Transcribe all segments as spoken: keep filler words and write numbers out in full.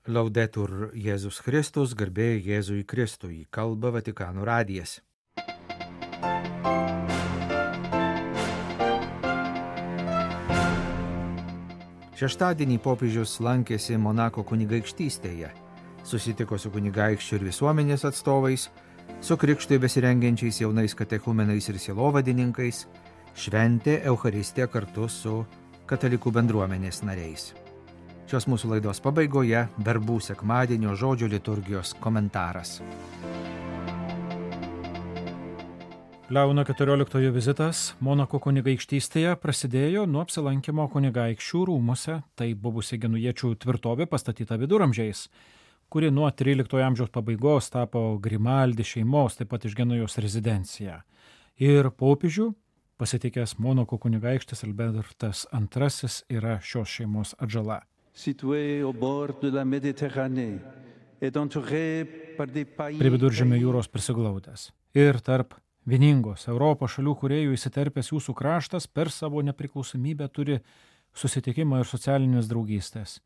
Laudetur Jėzus Kristus, garbė Jėzui Kristui, kalba Vatikano radijas. Šeštadienį popiežius lankėsi Monako kunigaikštystėje, susitiko su kunigaikščių ir visuomenės atstovais, su krikštui besirengiančiais jaunais katechumenais ir sielovadininkais, šventė Eucharistiją kartu su katalikų bendruomenės nariais. Šios mūsų laidos pabaigoje verbų sekmadienio žodžio liturgijos komentaras. Leono keturioliktojo vizitas Monako kunigaikštystėje prasidėjo nuo apsilankimo kunigaikščių rūmuose, tai buvusi genujiečių tvirtovė pastatyta viduramžiais, kuri nuo tryliktojo amžiaus pabaigos tapo Grimaldi šeimos, taip pat iš Genujos rezidencija. Ir popiežių pasitikęs Monako kunigaikštis Albertas antrasis yra šios šeimos atžala. Prie viduržemio jūros prisiglaudęs ir tarp vieningos Europos šalių kūrėjų įsiterpęs jūsų kraštas per savo nepriklausomybę turi susitikimą ir socialinės draugystės,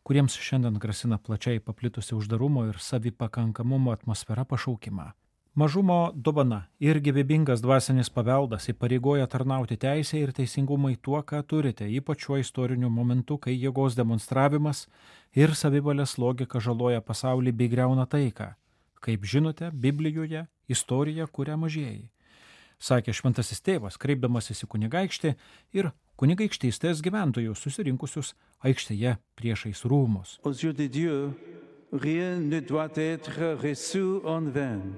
kuriems šiandien grasina plačiai paplitusi uždarumo ir savipakankamumo atmosfera pašaukimą. Mažumo dovana ir gyvybingas dvasinis paveldas įpareigoja tarnauti teisę ir teisingumai tuo, ką turite, ypač šiuo istoriniu momentu, kai jėgos demonstravimas ir savivalės logika žaloja pasaulį bei griauna taiką. Kaip žinote, Biblijoje istorija kuria mažieji, sakė šventasis tėvas, kreipdamasis į kunigaikštį ir kunigaikštystės gyventojus susirinkusius aikštėje priešais rūmus.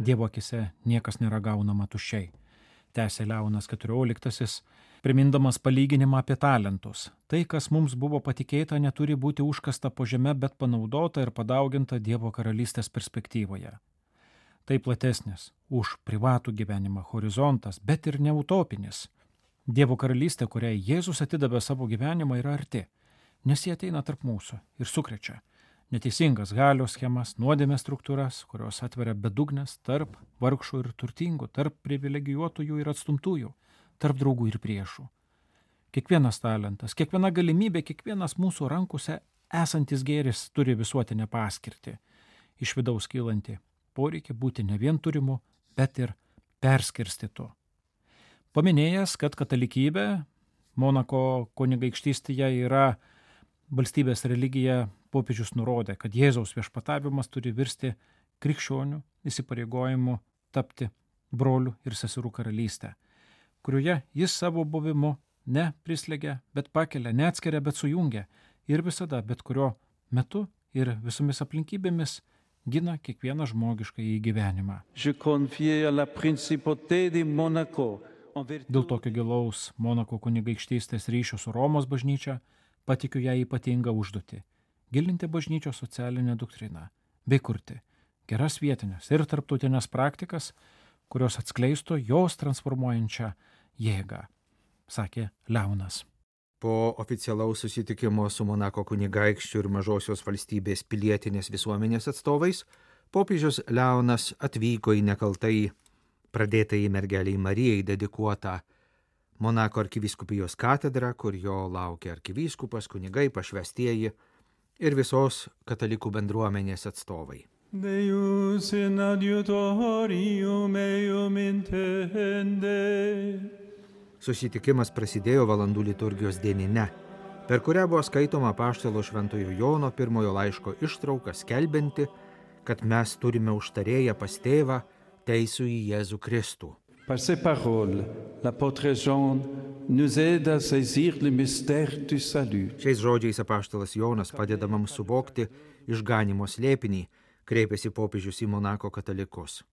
Dievo akise niekas nėra gaunama tuščiai, tęsė Leonas keturioliktasis, primindamas palyginimą apie talentus. Tai, kas mums buvo patikėta, neturi būti užkasta po žeme, bet panaudota ir padauginta Dievo karalystės perspektyvoje. Tai platesnis už privatų gyvenimą horizontas, bet ir neutopinis. Dievo karalystė, kuriai Jėzus atidavė savo gyvenimą, yra arti, nes jie ateina tarp mūsų ir sukrečia neteisingas galios schemas, nuodėmės struktūras, kurios atveria bedugnes tarp vargšų ir turtingų, tarp privilegijuotųjų ir atstumtųjų, tarp draugų ir priešų. Kiekvienas talentas, kiekviena galimybė, kiekvienas mūsų rankose esantis gėris turi visuotinę paskirtį, iš vidaus kylanti poreikį būti ne vien turimu, bet ir perskirstytu. Paminėjęs, kad katalikybė Monako kunigaikštystėje yra valstybės religija, popiežius nurodė, kad Jėzaus viešpatavimas turi virsti krikščionių įsipareigojimu tapti brolių ir seserų karalystę, kurioje jis savo buvimu ne prislegia, bet pakelia, neatskiria, bet sujungia ir visada, bet kurio metu ir visomis aplinkybėmis gina kiekvieną žmogišką į gyvenimą. Dėl tokio gilaus Monako kunigaikštystės ryšio su Romos bažnyčia patikiu ją ypatingą užduotį – gilinti bažnyčios socialinę doktriną bei kurti geras vietinės ir tarptautinės praktikas, kurios atskleistų jos transformuojančią jėgą, sakė Leonas. Po oficialaus susitikimo su Monako kunigaikščių ir mažosios valstybės pilietinės visuomenės atstovais, popiežius Leonas atvyko į nekaltai pradėtai mergeliai Marijai dedikuotą Monako arkivyskupijos katedrą, kur jo laukia arkivyskupas, kunigai, pašvestieji ir visos katalikų bendruomenės atstovai. Deus in adiutorium meum intende. Susitikimas prasidėjo valandų liturgijos dienine, per kurią buvo skaitoma apaštalo Šventojo Jono pirmojo laiško ištrauka skelbianti, kad mes turime užtarėją pas tėvą, teisų į Jėzų Kristų. Par ces paroles, l'apôtre Jean nous aide à saisir le mystère du salut. Šiais žodžiais apaštalas Jonas padeda mums suvokti išganymo slėpinį, kreipėsi popiežius į Monako katalikus.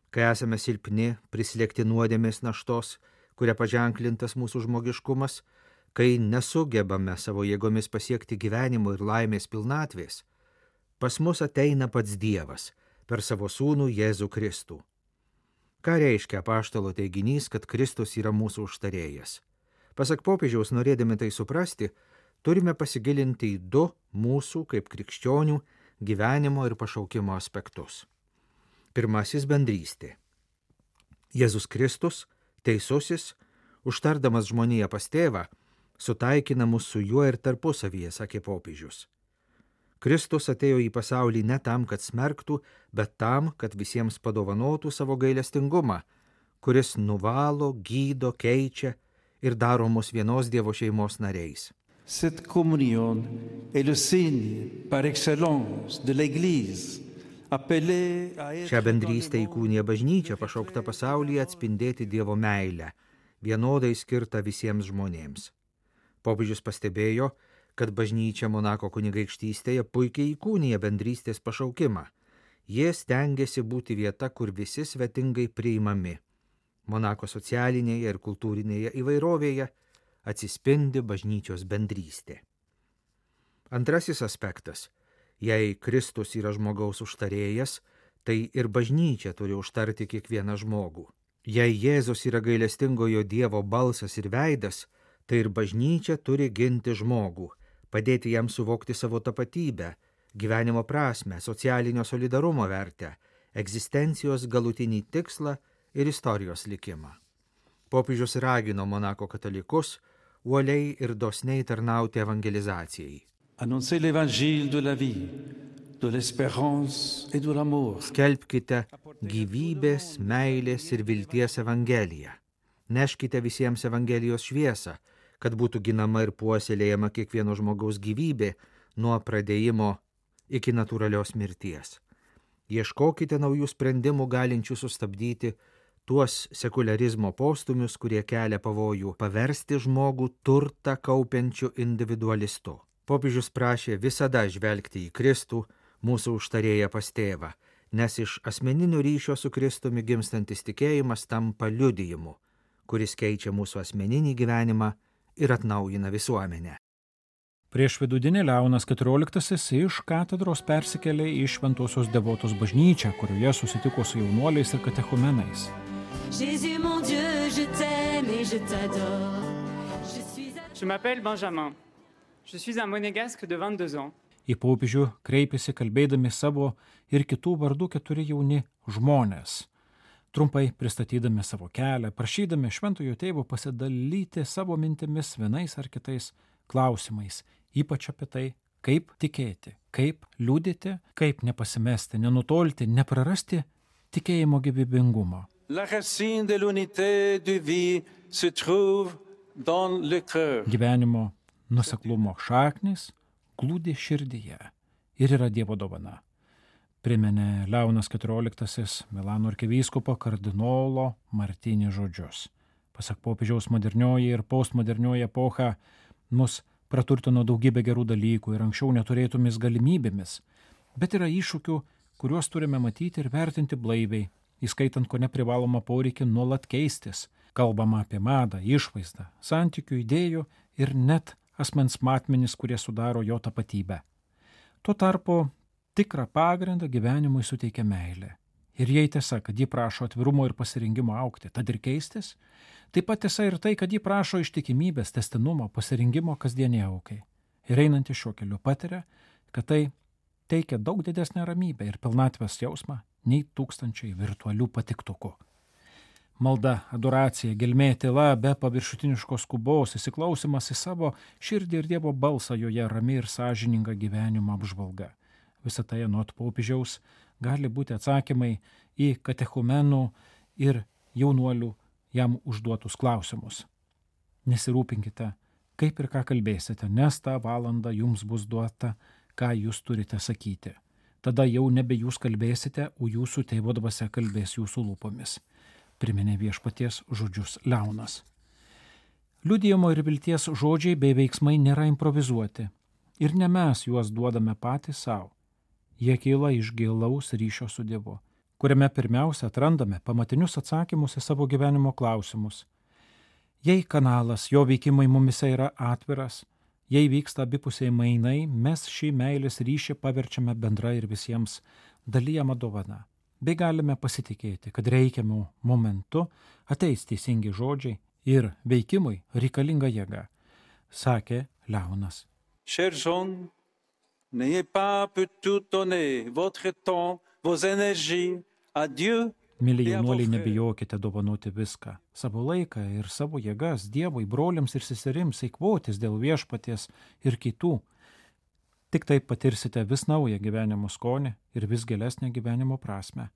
Kai esame silpni, prislėgti nuodėmės naštos, kuria paženklintas mūsų žmogiškumas, kai nesugebame savo jėgomis pasiekti gyvenimo ir laimės pilnatvės, pas mus ateina pats Dievas per savo sūnų Jėzų Kristų. Ką reiškia apaštalo teiginys, kad Kristus yra mūsų užtarėjas? Pasak popiežiaus, norėdami tai suprasti, turime pasigilinti į du mūsų kaip krikščionių gyvenimo ir pašaukimo aspektus. Pirmasis – bendrystė. Jėzus Kristus, teisusis, užtardamas žmoniją pas tėvą, sutaikina mus su juo ir tarpusavyje, sakė popiežius. Kristus atėjo į pasaulį ne tam, kad smerktų, bet tam, kad visiems padovanotų savo gailestingumą, kuris nuvalo, gydo, keičia ir daro mus vienos Dievo šeimos nariais. Cette communion est le signe par excellence de l'Église, appelée à être Šią bendrystę įkūnija bažnyčia, pašaukta pasaulyje atspindėti Dievo meilę, vienodai skirta visiems žmonėms. Popiežius pastebėjo, kad bažnyčia Monako kunigaikštystėje puikiai įkūnija bendrystės pašaukimą. Jie stengiasi būti vieta, kur visi svetingai priimami. Monako socialinėje ir kultūrinėje įvairovėje atsispindi bažnyčios bendrystė. Antrasis aspektas. Jei Kristus yra žmogaus užtarėjas, tai ir bažnyčia turi užtarti kiekvieną žmogų. Jei Jėzus yra gailestingojo Dievo balsas ir veidas, tai ir bažnyčia turi ginti žmogų, padėti jam suvokti savo tapatybę, gyvenimo prasmę, socialinio solidarumo vertę, egzistencijos galutinį tikslą ir istorijos likimą. Popiežius ragino Monako katalikus uoliai ir dosniai tarnauti evangelizacijai. annoncer l'évangile de la vie, de l'espérance et de l'amour. Skelbkite gyvybės, meilės ir vilties evangeliją. Neškite visiems evangelijos šviesą, kad būtų ginama ir puoselėjama kiekvieno žmogaus gyvybė nuo pradėjimo iki natūralios mirties. Ieškokite naujų sprendimų galinčių sustabdyti tuos sekularizmo postumius, kurie kelia pavojų paversti žmogų turtą kaupiančiu individualistu. Popiežius prašė visada žvelgti į Kristų, mūsų užtarėją pas tėvą, nes iš asmeninio ryšio su Kristumi gimstantis tikėjimas tampa liudijimu, kuris keičia mūsų asmeninį gyvenimą ir atnaujina visuomenę. Prieš vidudienį Leonas keturioliktasis iš katedros persikėlė į Šventosios Devotos bažnyčią, kurioje susitiko su jaunuoliais ir katechumenais. Jésus, mon Dieu, je t'aime et je t'adore. Je suis à... Je m'appelle Benjamin. Je suis un monégasque de vingt-deux ans. Į popiežių kreipėsi kalbėdami savo ir kitų vardų keturi jauni žmonės, trumpai pristatydami savo kelią, prašydami šventojo tėvo pasidalyti savo mintimis vienais ar kitais klausimais, ypač apie tai, kaip tikėti, kaip liudyti, kaip nepasimesti, nenutolti, neprarasti tikėjimo gyvybingumo. La racine de l'unité de vie se trouve dans le cœur. Gyvenimo nuoseklumo šaknis glūdi širdyje ir yra Dievo dovana. Priminė Leonas keturioliktasis Milano arkivyskupo kardinolo Martinį žodžius. Pasak popiežiaus, modernioji ir postmodernioji epocha mus praturtino daugybę gerų dalykų ir anksčiau neturėtomis galimybėmis, bet yra iššūkių, kuriuos turime matyti ir vertinti blaiviai, įskaitant ko neprivalomą poreikį nuolat keistis. Kalbama apie madą, išvaizdą, santykių, idėjų ir net asmens matmenis, kurie sudaro jo tapatybę. Tuo tarpu tikrą pagrindą gyvenimui suteikia meilė. Ir jei tiesa, kad ji prašo atvirumo ir pasirinkimo augti, tad ir keistis, taip pat tiesa ir tai, kad ji prašo ištikimybės, tęstinumo, pasirinkimo kasdienį aukai. Ir einantį šiuo keliu patiria, kad tai teikia daug didesnę ramybę ir pilnatvės jausmą nei tūkstančiai virtualių patiktukų. Malda, adoracija, gelmė, tyla, be paviršutiniškos skubos, įsiklausimas į savo širdį ir Dievo balsą joje, rami ir sąžininga gyvenimo apžvalga. Visą tai anot popiežiaus gali būti atsakymai į katechumenų ir jaunuolių jam užduotus klausimus. Nesirūpinkite, kaip ir ką kalbėsite, nes tą valandą jums bus duota, ką jūs turite sakyti. Tada jau nebe jūs kalbėsite, o jūsų tėvo dvasia kalbės jūsų lūpomis. Priminė viešpaties žodžius Leonas. Liudijimo ir vilties žodžiai bei veiksmai nėra improvizuoti. Ir ne mes juos duodame patys savo. Jie kyla iš gilaus ryšio su Dievu, kuriame pirmiausia atrandame pamatinius atsakymus į savo gyvenimo klausimus. Jei kanalas, jo veikimai mumise yra atviras, jei vyksta abipusiai mainai, mes šį meilės ryšį paverčiame bendra ir visiems dalijama dovana. Bei galime pasitikėti, kad reikiamų momentu ateis teisingi žodžiai ir veikimui reikalinga jėga, sakė Leonas. Chers jeunes, n'ayez pas pour tout donner votre temps, vos énergies à Dieu. Mėly jaunuoliai, nebijokite dovanoti viską, savo laiką ir savo jėgas Dievui, broliams ir seserims, eikvotis dėl viešpaties ir kitų. Tik taip patirsite vis naują gyvenimo skonį ir vis gilesnę gyvenimo prasme.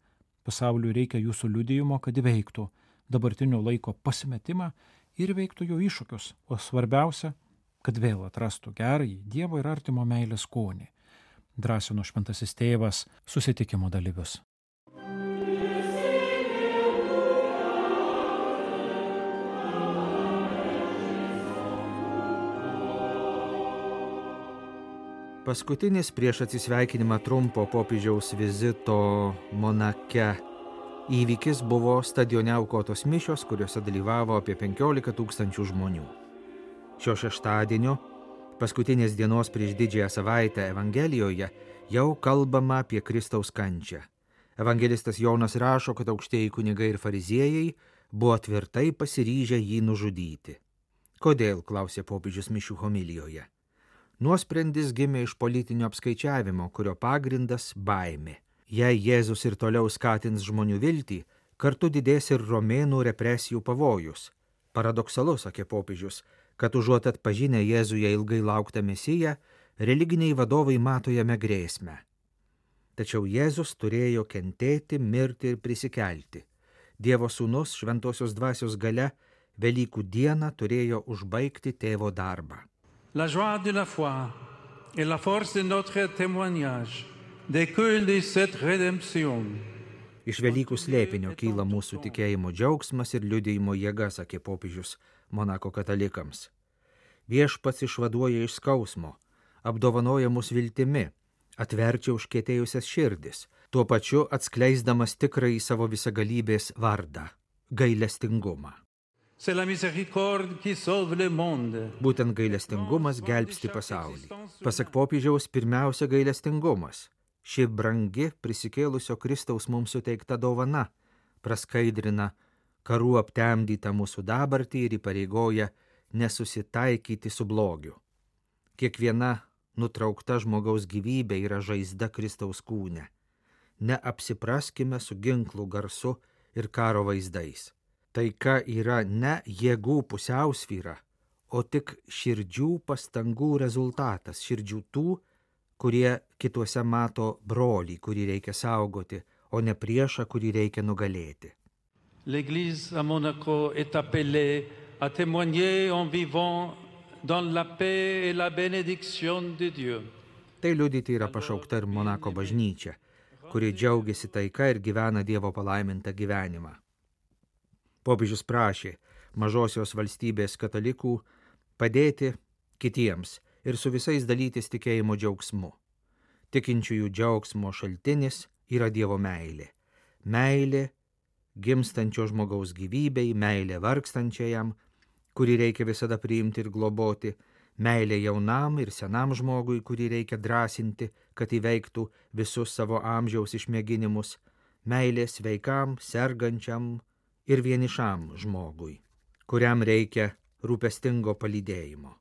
Pasauliui reikia jūsų liudijimo, kad įveiktų dabartinio laiko pasimetimą ir įveiktų jo iššūkius, o svarbiausia, kad vėl atrastų gerąjį Dievo ir artimo meilės skonį. Drąsino šventasis tėvas susitikimo dalyvius. Paskutinis prieš atsisveikinimą trumpo popiežiaus vizito Monake įvykis buvo stadione aukotos mišios, kuriuose dalyvavo apie penkiolika tūkstančių žmonių. Šio šeštadienio, paskutinės dienos prieš didžiąją savaitę Evangelijoje, jau kalbama apie Kristaus kančią. Evangelistas Jonas rašo, kad aukštieji kunigai ir fariziejai buvo tvirtai pasiryžę jį nužudyti. Kodėl, klausė popiežius mišių homilijoje. Nuosprendis gimė iš politinio apskaičiavimo, kurio pagrindas baimė. Jei Jėzus ir toliau skatins žmonių viltį, kartu didės ir romėnų represijų pavojus. Paradoksalu, sakė popiežius, kad užuot atpažinę Jėzuje ilgai lauktą Mesiją, religiniai vadovai mato jame grėsmę. Tačiau Jėzus turėjo kentėti, mirti ir prisikelti. Dievo sūnus šventosios dvasios galia Velykų dieną turėjo užbaigti tėvo darbą. La joie de la foi et la force de notre témoignage découlent de cette rédemption. Iš Velykų slėpinio kyla mūsų tikėjimo džiaugsmas ir liudijimo jėga, sakė popiežius Monako katalikams. Viešpats išvaduoja iš skausmo, apdovanoja mus viltimi, atverčia užkietėjusias širdis, tuo pačiu atskleisdamas tikrąjį savo visagalybės vardą – gailestingumą. C'est la miséricorde qui sauve le monde. Būtent gailestingumas gelbsti pasaulį. Pasak popiežiaus, pirmiausia gailestingumas. Ši brangi prisikėlusio Kristaus mums suteikta dovana praskaidrina karų aptemdytą mūsų dabartį ir įpareigoja nesusitaikyti su blogiu. Kiekviena nutraukta žmogaus gyvybė yra žaizda Kristaus kūne. Neapsipraskime su ginklų garsu ir karo vaizdais. Taika yra ne jėgų pusiausvyra, o tik širdžių pastangų rezultatas, širdžių tų, kurie kituose mato brolį, kurį reikia saugoti, o ne priešą, kurį reikia nugalėti. L'Église à Monaco est appelée à témoigner en vivant dans la paix et la bénédiction de Dieu. Tai liudyti yra pašaukta ir Monako bažnyčia, kuri džiaugiasi taika ir gyvena Dievo palaimintą gyvenimą. Popiežius prašė mažosios valstybės katalikų padėti kitiems ir su visais dalytis tikėjimo džiaugsmu. Tikinčiųjų džiaugsmo šaltinis yra Dievo meilė. Meilė gimstančio žmogaus gyvybei, meilė vargstančiajam, kurį reikia visada priimti ir globoti, meilė jaunam ir senam žmogui, kurį reikia drąsinti, kad įveiktų visus savo amžiaus išmėginimus, meilė sveikam, sergančiam ir vienišam žmogui, kuriam reikia rūpestingo palydėjimo.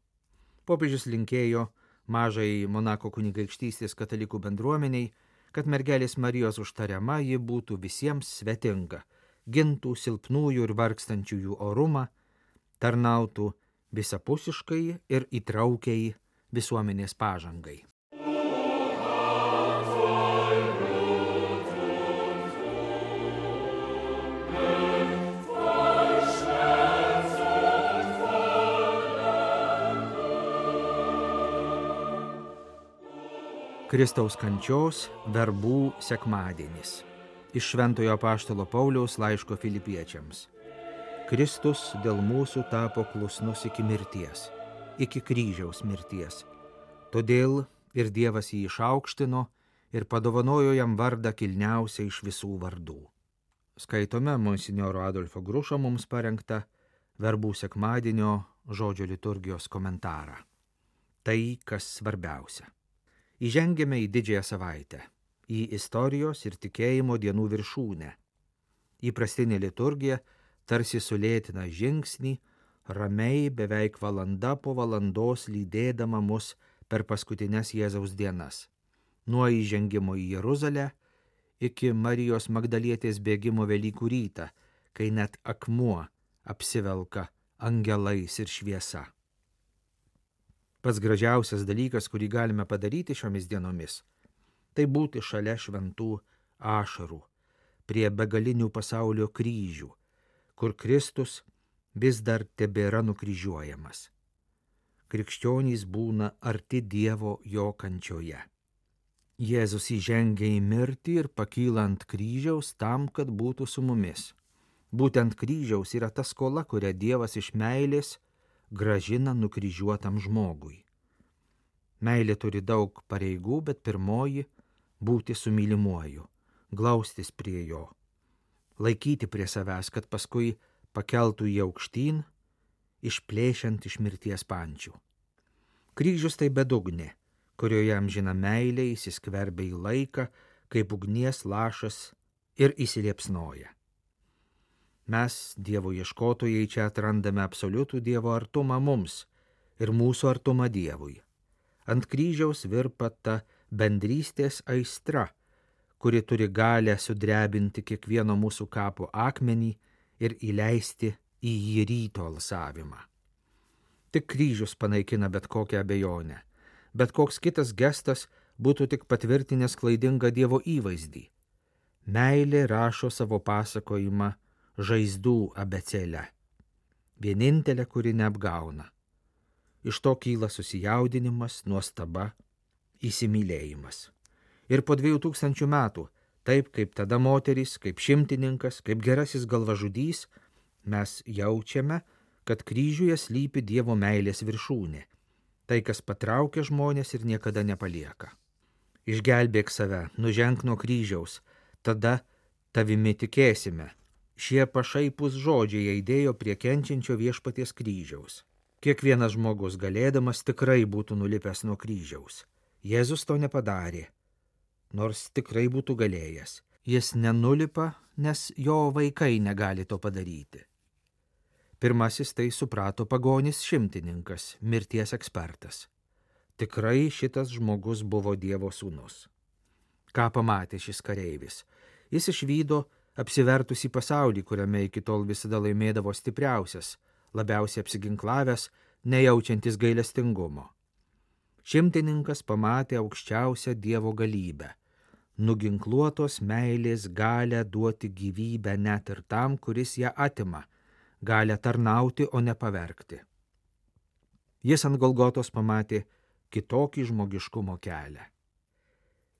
Popiežius linkėjo mažai Monako kunigaikštystės katalikų bendruomeniai, kad mergelės Marijos užtariama ji būtų visiems svetinga, gintų silpnųjų ir vargstančiųjų orumą, tarnautų visapusiškai ir įtraukiai visuomenės pažangai. Kristaus kančios verbų sekmadienis. Iš Šventojo apaštalo Pauliaus laiško Filipiečiams. Kristus dėl mūsų tapo klusnus iki mirties, iki kryžiaus mirties. Todėl ir Dievas jį išaukštino ir padovanojo jam vardą kilniausią iš visų vardų. Skaitome monsinjoro Adolfo Grušo mums parengtą verbų sekmadienio žodžio liturgijos komentarą. Tai, kas svarbiausia. Įžengėme į didžiąją savaitę, į istorijos ir tikėjimo dienų viršūnę. Įprastinė liturgija tarsi sulėtina žingsnį, ramiai beveik valanda po valandos lydėdama mus per paskutines Jėzaus dienas. Nuo įžengimo į Jeruzalę iki Marijos Magdalietės bėgimo Velykų rytą, kai net akmuo apsivelka angelais ir šviesa. Pats gražiausias dalykas, kurį galime padaryti šiomis dienomis, tai būti šalia šventų ašarų, prie begalinių pasaulio kryžių, kur Kristus vis dar tebėra nukryžiuojamas. Krikščionys būna arti Dievo jo kančioje. Jėzus įžengia į mirtį ir pakyla ant kryžiaus tam, kad būtų su mumis. Būtent kryžiaus yra ta skola, kurią Dievas iš meilės grąžina nukryžiuotam žmogui. Meilė turi daug pareigų, bet pirmoji – būti su mylimuoju, glaustis prie jo, laikyti prie savęs, kad paskui pakeltų į aukštyn, išplėšiant iš mirties pančių. Kryžius tai bedugnė, kurioje amžina meilė įsiskverbia į laiką, kaip ugnies lašas ir įsiliepsnoja. Mes, Dievo ieškotojai, čia atrandame absoliutų Dievo artumą mums ir mūsų artumą Dievui. Ant kryžiaus virpa ta bendrystės aistra, kuri turi galę sudrebinti kiekvieno mūsų kapo akmenį ir įleisti į jį ryto alsavimą. Tik kryžius panaikina bet kokią abejonę, bet koks kitas gestas būtų tik patvirtinęs klaidingą Dievo įvaizdį. Meilė rašo savo pasakojimą žaizdų abėcėle, vienintelė, kuri neapgauna. Iš to kyla susijaudinimas, nuostaba, įsimylėjimas. Ir po dviejų tūkstančių metų, taip kaip tada moteris, kaip šimtininkas, kaip gerasis galvažudys, mes jaučiame, kad kryžiuje slypi Dievo meilės viršūnė, tai, kas patraukia žmonės ir niekada nepalieka. Išgelbėk save, nuženk nuo kryžiaus, tada tavimi tikėsime. Šie pašaipūs žodžiai aidėjo prie kenčiančio Viešpaties kryžiaus. Kiekvienas žmogus galėdamas tikrai būtų nulipęs nuo kryžiaus. Jėzus to nepadarė, nors tikrai būtų galėjęs. Jis nenulipa, nes jo vaikai negali to padaryti. Pirmasis tai suprato pagonis šimtininkas, mirties ekspertas. Tikrai šitas žmogus buvo Dievo sūnus. Ką pamatė šis kareivis? Jis išvydo apsivertusį pasaulį, kuriame iki tol visada laimėdavo stipriausias, labiausiai apsiginklavęs, nejaučiantis gailestingumo. Šimtininkas pamatė aukščiausią Dievo galybę, nuginkluotos meilės galę duoti gyvybę net ir tam, kuris ją atima, galę tarnauti, o ne pavergti. Jis ant Golgotos pamatė kitokį žmogiškumo kelią.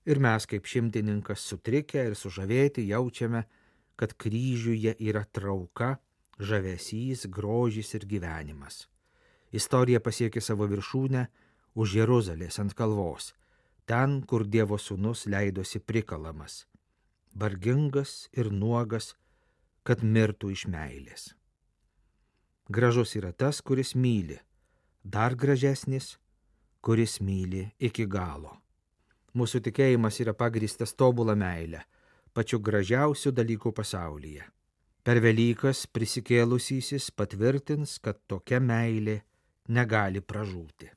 Ir mes, kaip šimtininkas, sutrikę ir sužavėti, jaučiame, kad kryžiuje yra trauka, žavesys, grožis ir gyvenimas. Istorija pasiekė savo viršūnę už Jeruzalės ant kalvos, ten, kur Dievo sūnus leidosi prikalamas, vargingas ir nuogas, kad mirtų iš meilės. Gražus yra tas, kuris myli, dar gražesnis, kuris myli iki galo. Mūsų tikėjimas yra pagrįstas tobulą meilę, pačiu gražiausiu dalyku pasaulyje. Per Velykas prisikėlusysis patvirtins, kad tokia meilė negali pražūti.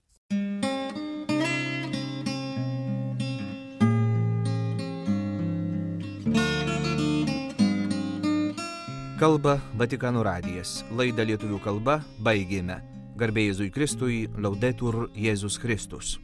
Kalba Vatikano radijas. Laidą lietuvių kalba baigėme. Garbė Jėzui Kristui, Laudetur Jėzus Kristus.